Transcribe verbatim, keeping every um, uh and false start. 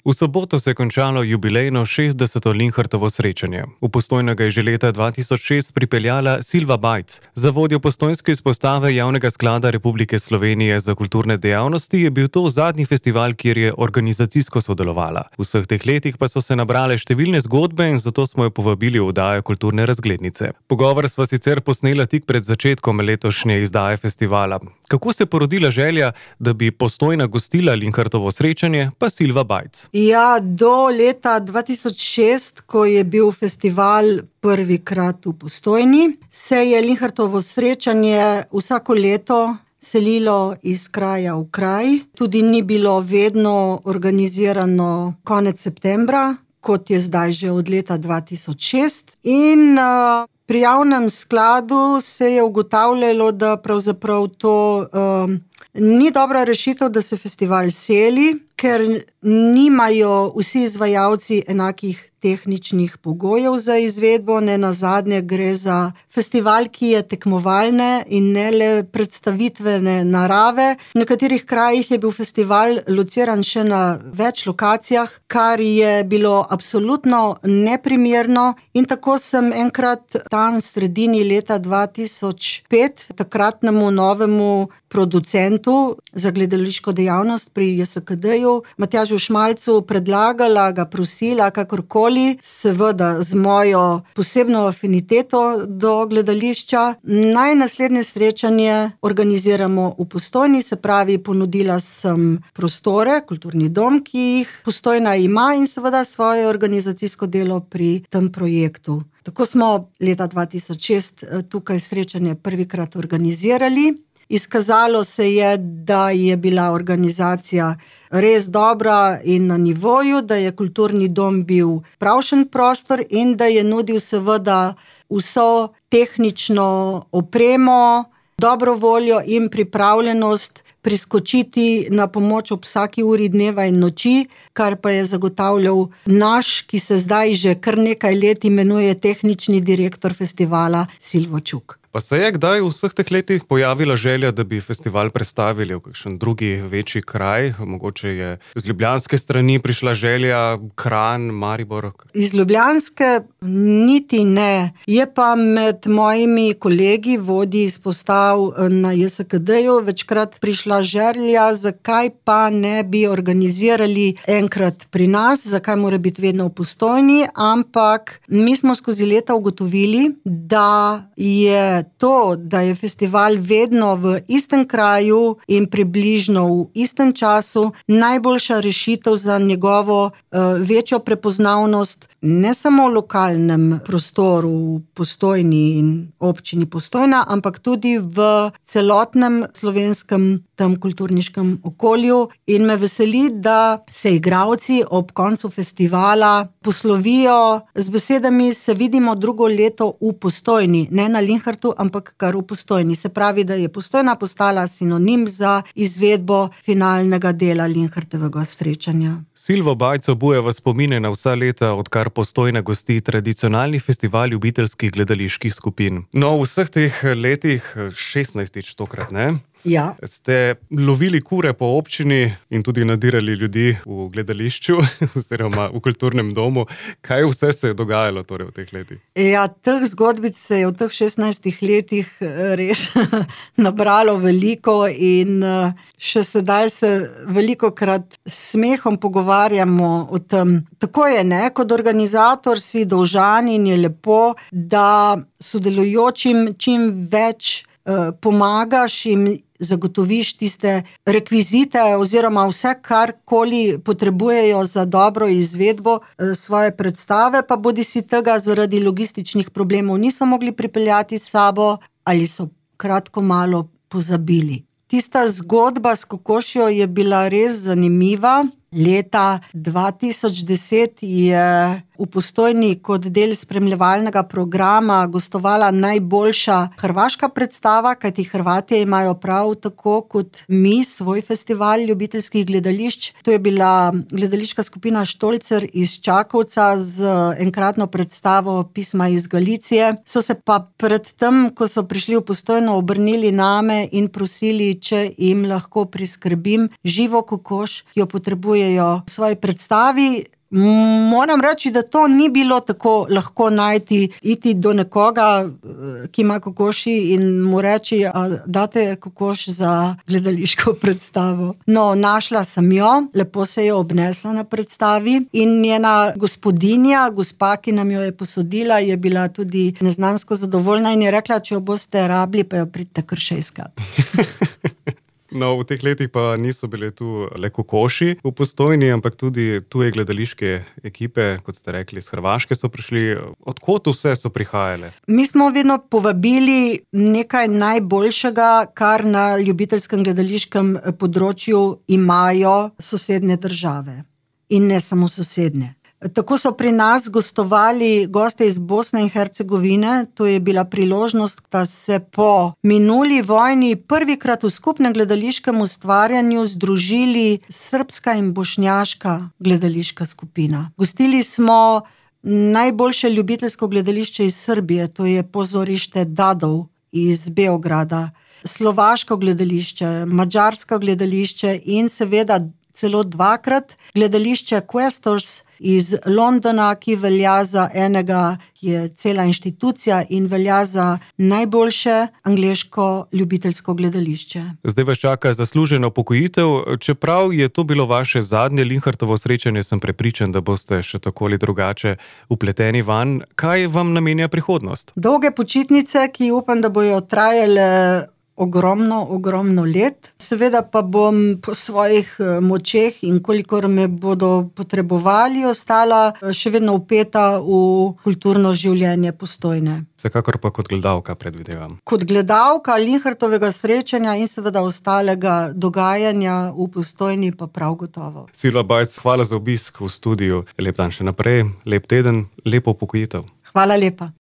V soboto se je končalo jubilejno šestdeseto Linhartovo srečanje. V Postojno ga je že leta dva tisoč šest pripeljala Silva Bajc. Za vodjo postojnske izpostave Javnega sklada Republike Slovenije za kulturne dejavnosti je bil to zadnji festival, kjer je organizacijsko sodelovala. V vseh teh letih pa so se nabrale številne zgodbe in zato smo jo povabili v oddajo Kulturne razglednice. Pogovor sva sicer posnela tik pred začetkom letošnje izdaje festivala. Kako se je porodila želja, da bi Postojna gostila Linhartovo srečanje, pa Silva Bajc. Ja, do leta dva tisoč šest, ko je bil festival prvikrat v Postojni, se je Linhartovo srečanje vsako leto selilo iz kraja v kraj. Tudi ni bilo vedno organizirano konec septembra, kot je zdaj že od leta dva tisoč šest. In uh, pri javnem skladu se je ugotavljalo, da pravzaprav to uh, ni dobra rešitev, da se festival seli, ker nimajo vsi izvajalci enakih tehničnih pogojev za izvedbo. Ne nazadnje gre za festival, ki je tekmovalne in ne le predstavitvene narave. V nekaterih krajih je bil festival lociran še na več lokacijah, kar je bilo absolutno neprimerno. In tako sem enkrat tam v sredini leta dva tisoč pet takratnemu novemu producentu za gledališko dejavnost pri J S K D-ju, Matjažu Šmalcu, predlagala, ga prosila, kakorkoli, seveda z mojo posebno afiniteto do gledališča, naj naslednje srečanje organiziramo v Postojni, se pravi, ponudila sem prostore, kulturni dom, ki jih Postojna ima, in seveda svoje organizacijsko delo pri tem projektu. Tako smo leta dva tisoč šest tukaj srečanje prvikrat organizirali. Izkazalo se je, da je bila organizacija res dobra in na nivoju, da je kulturni dom bil pravšen prostor in da je nudil seveda vso tehnično opremo, dobro voljo in pripravljenost priskočiti na pomoč ob vsaki uri dneva in noči, kar pa je zagotavljal naš, ki se zdaj že kar nekaj let imenuje tehnični direktor festivala, Silvo Čuk. Pa se je kdaj v vseh teh letih pojavila želja, da bi festival prestavili v kakšen drugi večji kraj? Mogoče je z ljubljanske strani prišla želja, Kranj, Maribor? Iz ljubljanske niti ne. Je pa med mojimi kolegi, vodji izpostav na J S K D-ju, večkrat prišla želja, zakaj pa ne bi organizirali enkrat pri nas, zakaj mora biti vedno v Postojni, ampak mi smo skozi leta ugotovili, da je to, da je festival vedno v istem kraju in približno v istem času, najboljša rešitev za njegovo uh, večjo prepoznavnost ne samo v lokalnem prostoru v Postojni in občini Postojna, ampak tudi v celotnem slovenskem tem kulturniškem okolju. In me veseli, da se igralci ob koncu festivala poslovijo z besedami: se vidimo drugo leto v Postojni, ne na Linhartu, ampak kar v Postojni. Se pravi, da je Postojna postala sinonim za izvedbo finalnega dela Linhartovega srečanja. Silvo Bajc obujeva spomine na vsa leta, odkar Postojna gosti tradicionalni festival ljubiteljskih gledaliških skupin. No, v vseh teh letih, šestnajstič tokrat, ne? Ja. Ste lovili kure po občini in tudi nadirali ljudi v gledališču oziroma v kulturnem domu. Kaj vse se je dogajalo torej v teh letih? Ja, teh zgodbic se je v teh šestnajstih letih res nabralo veliko in še sedaj se velikokrat s smehom pogovarjamo o tem. Tako je, ne? Kot organizator si dolžan in je lepo, da sodelujočim čim več eh, pomagaš in zagotoviš tiste rekvizite oziroma vse, karkoli potrebujejo za dobro izvedbo svoje predstave, pa bodi si tega zaradi logističnih problemov niso mogli pripeljati s sabo ali so kratko malo pozabili. Tista zgodba s kokošjo je bila res zanimiva. Leta dva tisoč deset je v Postojni kot del spremljevalnega programa gostovala najboljša hrvaška predstava, kajti Hrvatje imajo prav tako kot mi svoj festival ljubiteljskih gledališč. To je bila gledališka skupina Štolcer iz Čakovca z enkratno predstavo Pisma iz Galicije. So se pa pred tem, ko so prišli v Postojno, obrnili name in prosili, če jim lahko priskrbim živo kokoš, ki jo potrebujejo v svoji predstavi. Moram reči, da to ni bilo tako lahko najti, iti do nekoga, ki ima kokoši in mu reči, a date kokoš za gledališko predstavo. No, našla sem jo, lepo se je obnesla na predstavi in njena gospodinja, gospa, ki nam jo je posodila, je bila tudi neznansko zadovoljna in je rekla, če jo boste rabili, pa jo pridite kar še iskat. No, v teh letih pa niso bile tu le kokoši v Postojni, ampak tudi tuje gledališke ekipe, kot ste rekli, iz Hrvaške so prišli. Od kod vse so prihajale? Mi smo vedno povabili nekaj najboljšega, kar na ljubiteljskem gledališkem področju imajo sosednje države. In ne samo sosednje. Tako so pri nas gostovali goste iz Bosne in Hercegovine. To je bila priložnost, da se po minuli vojni prvikrat v skupnem gledališkem ustvarjanju združili srbska in bošnjaška gledališka skupina. Gostili smo najboljše ljubiteljsko gledališče iz Srbije, to je Pozorište Dadov iz Beograda, slovaško gledališče, madžarsko gledališče in seveda celo dvakrat gledališče Questors iz Londona, ki velja za enega, ki je cela inštitucija in velja za najboljše angleško ljubiteljsko gledališče. Zdaj vas čaka zaslužena upokojitev. Čeprav je to bilo vaše zadnje Linhartovo srečanje, sem prepričan, da boste še tako ali drugače vpleteni vanj. Kaj vam namenja prihodnost? Dolge počitnice, ki upam, da bojo trajale ogromno, ogromno let. Seveda pa bom po svojih močeh in kolikor me bodo potrebovali, ostala še vedno vpeta v kulturno življenje Postojne. Vsekakor pa kot gledalka, predvidevam. Kot gledalka Linhartovega srečanja in seveda ostalega dogajanja v Postojni pa prav gotovo. Silva Bajc, hvala za obisk v studiu. Lep dan še naprej, lep teden, lepo upokojitev. Hvala lepa.